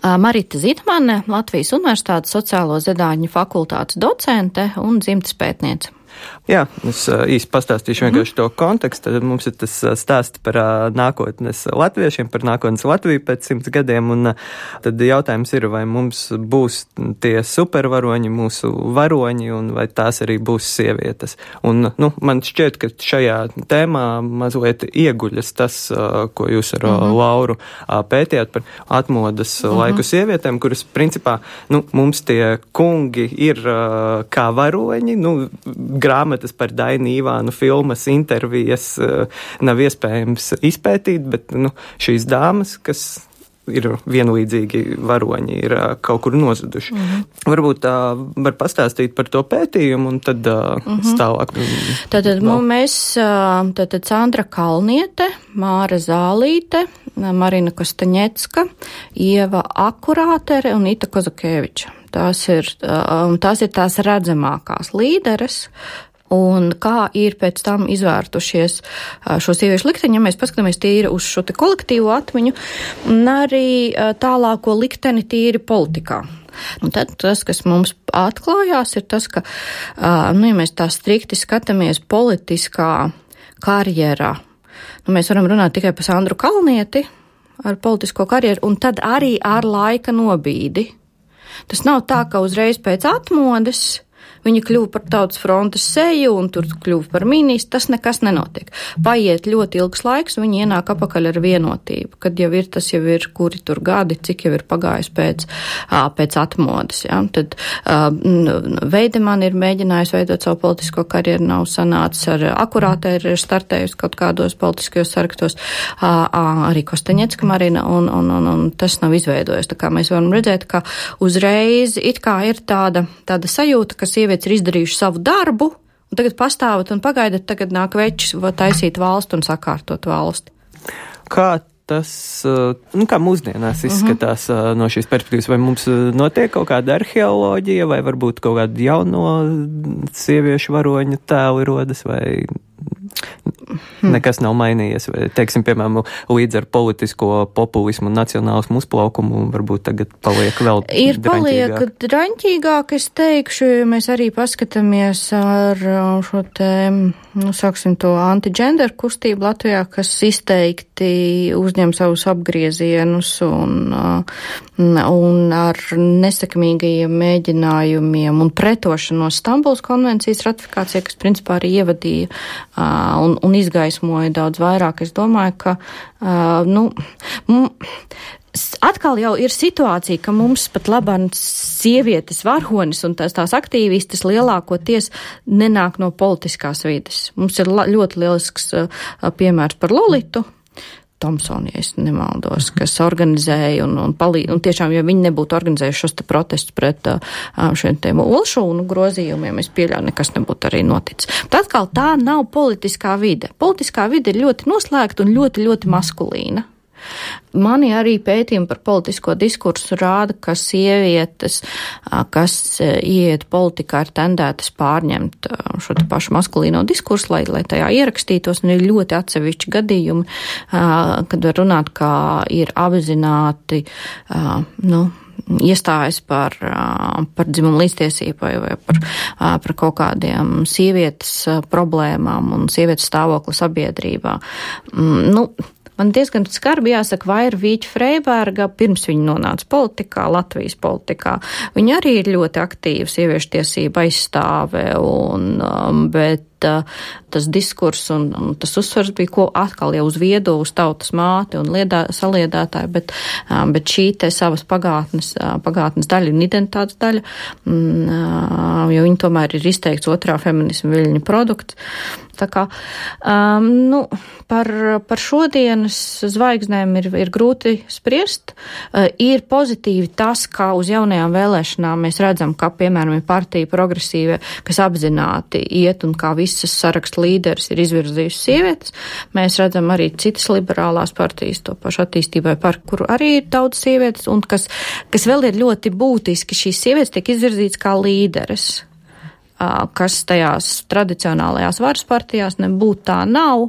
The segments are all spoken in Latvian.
Marita Zitmane, Latvijas Universitātes sociālo zinātņu fakultātes docente un dzimtes pētniece. Jā, es īsti pastāstīšu vienkārši to kontekstu. Tad mums ir tas stāsts par nākotnes latviešiem, par nākotnes Latviju pēc 100 gadiem, un tad jautājums ir, vai mums būs tie supervaroņi, mūsu varoņi, un vai tās arī būs sievietes. Un, man šķiet, ka šajā tēmā mazliet ieguļas tas, ko jūs ar Lauru pētījāt par atmodas laiku sievietēm, kuras, principā, mums tie kungi ir kā varoņi, grāmatas par Dainu Ivānu, filmas, intervijas nav iespējams izpētīt, bet šīs dāmas, kas ir vienlīdzīgi varoņi, ir kaut kur nozuduši. Varbūt var pastāstīt par to pētījumu un tad tālāk. Tātad mēs, Sandra Kalniete, Māra Zālīte, Marina Kostaņecka, Ieva Akurātere un Ita Kozakēviča. Tās ir tās redzamākās līderes, un kā ir pēc tam izvērtušies šo sieviešu likteņi, ja mēs paskatāmies tīri uz šo te kolektīvo atmiņu, un arī tālāko likteni tīri politikā. Un tad tas, kas mums atklājās, ir tas, ka, ja mēs tā strikti skatāmies politiskā karjerā, mēs varam runāt tikai par Sandru Kalnieti ar politisko karjeru, un tad arī ar laika nobīdi. Tas nav tā, ka uzreiz pēc atmodes viņa kļuva par Tautas frontes seju un tur kļuva par ministru. Tas nekas nenotiek. Paiet ļoti ilgs laiks, viņi ienāk apakaļ ar vienotību, kad jau ir tas, kuri tur gadi, cik jau ir pagājis pēc atmodes. Ja? Tad Veidemann ir mēģinājis veidot savu politisko karjeru, nav sanācis ar Akurāte, ir startējusi kaut kādos politiskajos sarakstos, arī Kostaņecka Marina, un tas nav izveidojis. Tā kā mēs varam redzēt, ka uzreiz it kā ir tāda sajūta, ka sievietes ir izdarījuši savu darbu, un tagad pastāvat un pagaidat, tagad nāk večs taisīt valstu un sakārtot valsti. Kā tas, kā mūsdienās izskatās no šīs perspektīvas, vai mums notiek kaut kāda arheoloģija, vai varbūt kaut kāda jauno sieviešu varoņu tēli rodas, vai nekas nav mainījies, vai, teiksim, piemēram, līdz ar politisko populismu un nacionālismu uzplaukumu varbūt tagad paliek vēl paliek draņķīgāk, es teikšu, ja mēs arī paskatāmies ar šo te, sāksim to anti-gender kustību Latvijā, kas izteikti uzņem savus apgriezienus un ar nesekmīgajiem mēģinājumiem un pretošanos Stambulas konvencijas ratifikācijai, kas principā arī ievadīja un izgaismoja daudz vairāk. Es domāju, ka, atkal jau ir situācija, ka mums pat labāk sievietes varonis un tās aktīvistas lielākoties nenāk no politiskās vides. Mums ir ļoti lielisks piemērs par Lolitu Tomsoni, ja es nemaldos, kas organizēja un palīdz, un tiešām, ja viņi nebūtu organizējuši šos te protestus pret šiem te olšūnu grozījumiem, es pieļauju, nekas nebūtu arī noticis. Bet atkal tā nav politiskā vide. Politiskā vide ir ļoti noslēgta un ļoti, ļoti maskulīna. Mani arī pētījumi par politisko diskursu rāda, ka sievietes, kas ieiet politikā, ir tendētas pārņemt šo te pašu maskulīno diskursu, lai tajā ierakstītos, un ir ļoti atsevišķi gadījumi, kad var runāt, kā ir apzināti, iestājas par dzimumu līdztiesību vai par kaut kādiem sievietes problēmām un sievietes stāvokli sabiedrībā. Man diezgan skarbi jāsaka, Vaira Vīķa Freiberga, pirms viņa nonāca politikā, Latvijas politikā. Viņa arī ir ļoti aktīva sieviešu tiesība aizstāve, bet tas diskurss un tas uzsvars bija, ko atkal jau uz viedo, uz tautas māti un saliedētāju, bet šī te savas pagātnes daļa un identitātes daļa, jo viņa tomēr ir izteikts otrā feminisma viļņa produkts. Tā kā, par šodienas zvaigznēm ir grūti spriest. Ir pozitīvi tas, ka uz jaunajām vēlēšanām mēs redzam, ka, piemēram, ir partija progresīva, kas apzināti iet un kā visas sarakstu līderis ir izvirzījusi sievietes. Mēs redzam arī citas liberālās partijas, to pašu attīstībai par kuru arī ir daudz sievietes, un kas vēl ir ļoti būtiski, šīs sievietes tiek izvirzītas kā līderes, kas tajās tradicionālajās varas partijās nebūtu tā nav,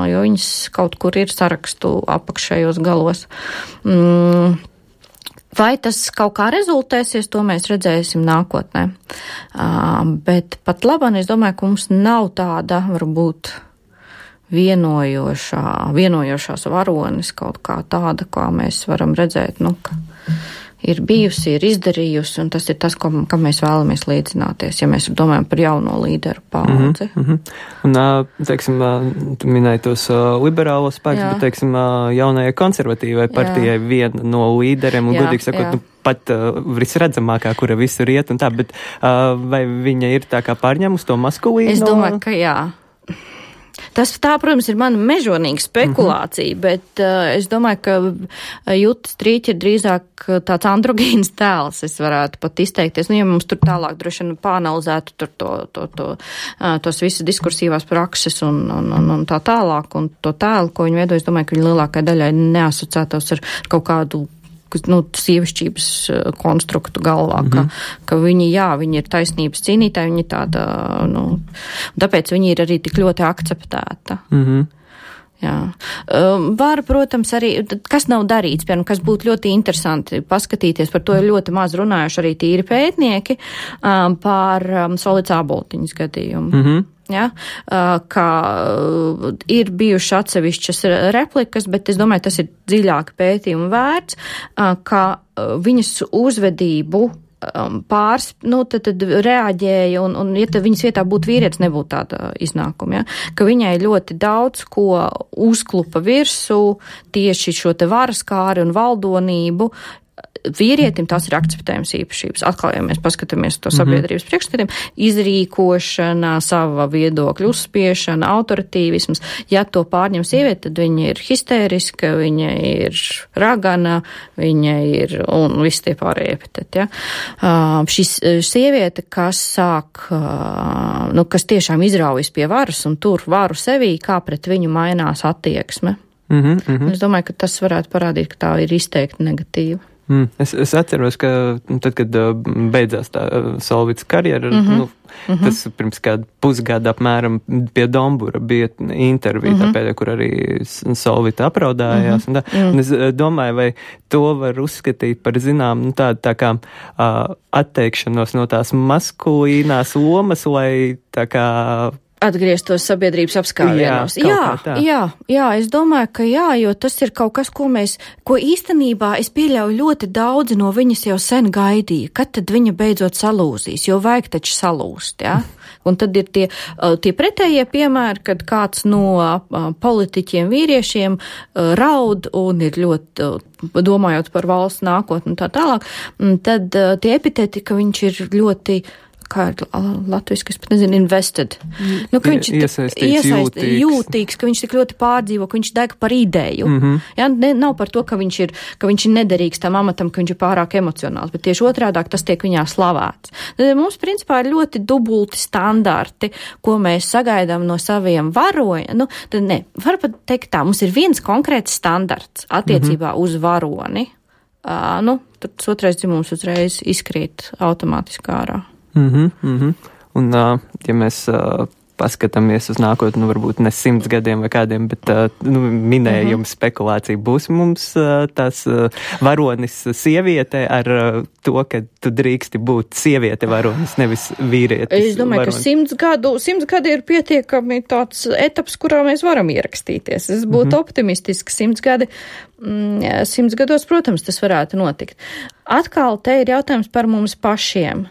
jo viņas kaut kur ir sarakstu apakšējos galos. Vai tas kaut kā rezultēsies, to mēs redzēsim nākotnē. Bet pat labāk es domāju, ka mums nav tāda, varbūt, vienojošās varonis kaut kā tāda, kā mēs varam redzēt, ka ir bijusi, ir izdarījusi, un tas ir tas, kam mēs vēlamies līdzināties, ja mēs domājam par jauno līderu paudzi. Un, teiksim, tu minēji tos liberālos spēkus, bet, teiksim, jaunajai konservatīvai partijai viena no līderiem, un godīgi sakot, pat visredzamākā, kura visur iet un tā, bet vai viņa ir tā kā pārņēmusi to maskulīnu? Es domāju, ka jā. Tā, protams, ir mana mežonīga spekulācija, bet es domāju, ka Juta Strīķa ir drīzāk tāds androgīns tēls, es varētu pat izteikties. Ja mums tur tālāk droši vien pāanalizētu tos visas diskursīvās prakses un tā tālāk, un to tēlu, ko viņi veido, es domāju, ka viņi lielākai daļai neasociētos ar kaut kādu sievišķības konstruktu galvā, ka viņi ir taisnības cīnītāji, viņi tāda, tāpēc viņi ir arī tik ļoti akceptēta. Jā. Var, protams, arī, kas nav darīts, piemēram, kas būtu ļoti interesanti paskatīties, par to ir ļoti maz runājuši arī tīri pētnieki, par Solids Āboltiņas gadījumu. Ja, ka ir bijuši atsevišķas replikas, bet es domāju, tas ir dziļāk pētījumu vērts, ka viņas uzvedību tad reaģēja, un ja viņas vietā būtu vīrietis, nebūtu tāda iznākuma, ja? Ka viņai ļoti daudz ko uzklupa virsū, tieši šo te varaskāri un valdonību. Vīrietim tās ir akceptējums īpašības. Atkal, ja mēs paskatāmies to sabiedrības priekšstatiem, izrīkošana, sava viedokļa uzspiešana, autoritīvisms. Ja to pārņem sieviete, tad viņa ir histēriska, viņa ir ragana, viņa ir, un visi tie pārējie epiteti, ja. Šis sieviete, kas sāk, kas tiešām izraujas pie varas un tur varu sevī, kā pret viņu mainās attieksme. Es domāju, ka tas varētu parādīt, ka tā ir izteikti negatīva. Es atceros, ka tad, kad beidzās tā Solvits karjera, tas pirms kādu pusgadu apmēram pie Dombura bija intervija, tāpēc, kur arī Solvita apraudājās. Un es domāju, vai to var uzskatīt par zinām, tā kā atteikšanos no tās maskulīnās lomas, lai tā kā atgrieztos sabiedrības apskāvienos. Jā, es domāju, ka jā, jo tas ir kaut kas, ko īstenībā es pieļauju ļoti daudzi no viņas jau sen gaidīja, kad tad viņa beidzot salūzīs, jo vajag taču salūst, jā. Un tad ir tie pretējie piemēri, kad kāds no politiķiem vīriešiem raud un ir ļoti, domājot par valsts nākotni un tā tālāk, tad tie epiteti, ka viņš ir ļoti kā ir latviski, es pat nezinu, invested. Ka viņš ir jūtīgs, ka viņš tik ļoti pārdzīvo, ka viņš deg par ideju. Ja, nav par to, ka viņš ir nederīgs tam amatam, ka viņš ir pārāk emocionāls, bet tieši otrādāk tas tiek viņā slavēts. Mums, principā, ir ļoti dubulti standarti, ko mēs sagaidām no saviem varoņiem. Var pat teikt tā, mums ir viens konkrēts standarts attiecībā uz varoni. Tad otrais dzimums uzreiz izkrīt automātiski ārā. Un, ja mēs paskatāmies uz nākotni, varbūt ne 100 gadiem vai kādiem, bet minējums, spekulācija būs mums tās varonis sieviete ar to, ka tu drīksti būt sieviete varonis, nevis vīrietis. Es domāju, varonis. Ka 100 gadi ir pietiekami tāds etaps, kurā mēs varam ierakstīties. Es būtu optimistiski 100 gadi. 100 gados, protams, tas varētu notikt. Atkal te ir jautājums par mums pašiem.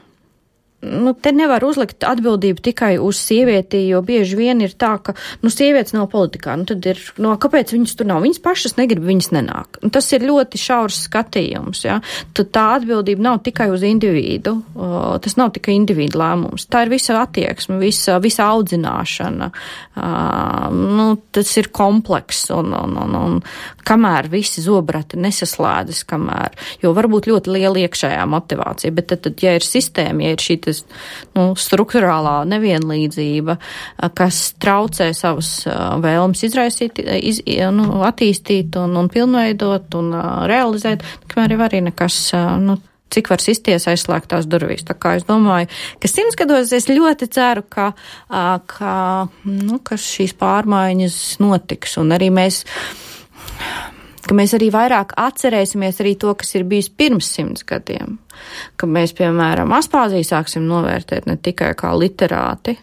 Te nevar uzlikt atbildību tikai uz sievieti, jo bieži vien ir tā, ka, sievietes nav politikā, tad ir, kāpēc viņas tur nav? Viņas pašas negrib, viņas nenāk. Tas ir ļoti šaurs skatījums, ja? Tad tā atbildība nav tikai uz individu, tas nav tikai individu lēmums. Tā ir visa attieksme, visa audzināšana. Tas ir komplekss un kamēr visi zobrati nesaslēdzas, jo varbūt ļoti liela iekšējā motivācija, bet tad, ja ir sistēma, ja ir šī strukturālā nevienlīdzība, kas traucē savas vēlmes izraisīt, attīstīt un pilnveidot un realizēt, kamēr arī nekas, cik var sisties aizslēgtās durvīs. Tā kā es domāju, ka 100 gados es ļoti ceru, ka šīs pārmaiņas notiks, un arī mēs ka mēs arī vairāk atcerēsimies arī to, kas ir bijis pirms 100 gadiem. Ka mēs, piemēram, Aspāziju sāksim novērtēt ne tikai kā literāti,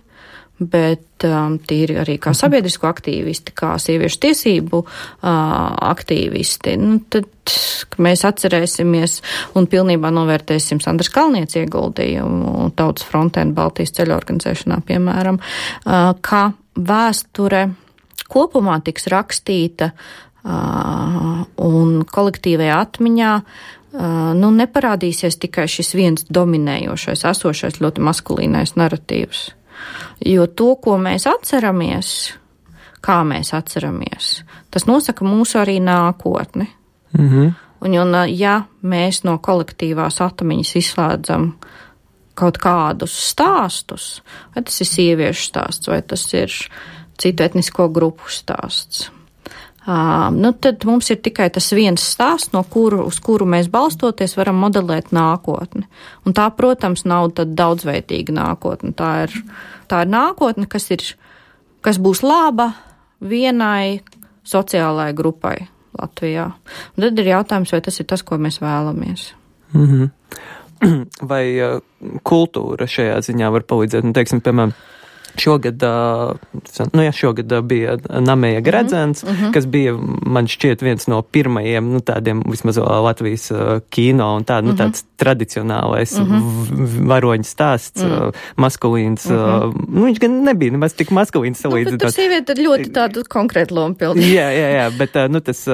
bet tīri arī kā sabiedrisko aktīvisti, kā sieviešu tiesību aktīvisti. Tad mēs atcerēsimies un pilnībā novērtēsim Sandras Kalnietes ieguldījumu Tautas frontē un Baltijas ceļa organizēšanā, piemēram, ka vēsture kopumā tiks rakstīta un kolektīvajā atmiņā neparādīsies tikai šis viens dominējošais, esošais ļoti maskulīnais naratīvs. Jo to, ko mēs atceramies, kā mēs atceramies, tas nosaka mūsu arī nākotni. Un ja mēs no kolektīvās atmiņas izslēdzam kaut kādus stāstus, vai tas ir sieviešu stāsts, vai tas ir citu etnisko grupu stāsts, tad mums ir tikai tas viens stāsts, uz kuru mēs balstoties varam modelēt nākotni. Un tā, protams, nav tad daudzveidīga nākotne. Tā ir nākotne, kas būs laba vienai sociālai grupai Latvijā. Un tad ir jautājums, vai tas ir tas, ko mēs vēlamies. Vai kultūra šajā ziņā var palīdzēt? Teiksim, piemēram, šogad bija Nameja Gredzens, kas bija, man šķiet, viens no pirmajiem, tādiem vismaz Latvijas kino un tāds tradicionālais varoņu stāsts, maskulīns. Viņš gan nebija nemaz tik maskulīns salīdzinot. Bet tur sieviete ļoti tādu konkrētu lomu pildīja. Jā, bet tas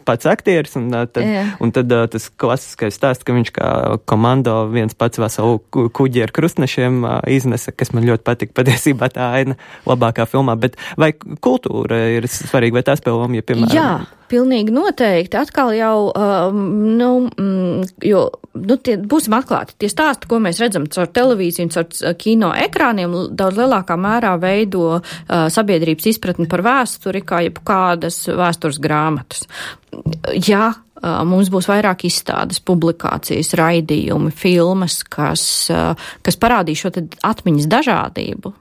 pats aktieris un tad tas klasiskais stāsts, ka viņš kā komando viens pats veselu kuģi ar krustnešiem iznesa, kas man ļoti patika. Patiesībā tā aina labākā filmā, bet vai kultūra ir svarīga, vai tā spēlē lomu, ja, piemēram? Jā, pilnīgi noteikti. Atkal jau, būsim atklāti, tie stāsti, ko mēs redzam caur televīziju un caur kino ekrāniem, daudz lielākā mērā veido sabiedrības izpratni par vēsturi, kā jebkādas vēstures grāmatas. Ja mums būs vairāk izstādes, publikācijas, raidījumi, filmas, kas parādīs šo atmiņas dažādību.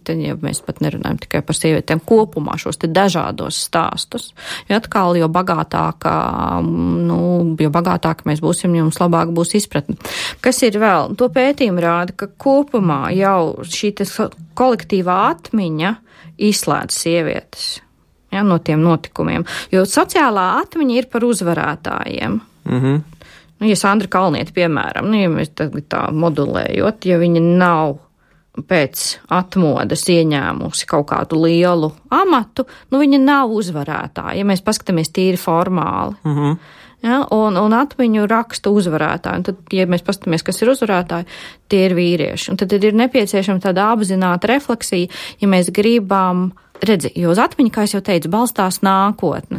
Tad, ja mēs pat nerunājam tikai par sievietēm kopumā šos te dažādos stāstus, jo atkal, jo bagātāk mēs būsim, jums labāk būs izpratne. Kas ir vēl? To pētījumi rāda, ka kopumā jau šī kolektīvā atmiņa izslēdz sievietes. Ja, no tiem notikumiem. Jo sociālā atmiņa ir par uzvarētājiem. Ja Sandra Kalniete, piemēram, ja mēs tā modulējot, ja viņa nav pēc atmodas ieņēmusi kaut kādu lielu amatu, viņa nav uzvarētāja, ja mēs paskatāmies tīri formāli. Ja, un atmiņu raksta uzvarētāji. Un tad, ja mēs paskatāmies, kas ir uzvarētāji, tie ir vīrieši. Un tad ir nepieciešama tāda apzināta refleksija, ja mēs gribam jo uz atmiņu, kā es jau teicu, balstās nākotne.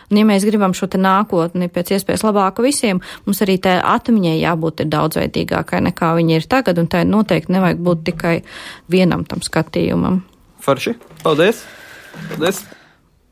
Un ja mēs gribam šo te nākotni pēc iespējas labāku visiem, mums arī tā atmiņai jābūt daudzveidīgākai nekā viņa ir tagad, un tā noteikti nevajag būt tikai vienam tam skatījumam. Forši, paldies! Paldies!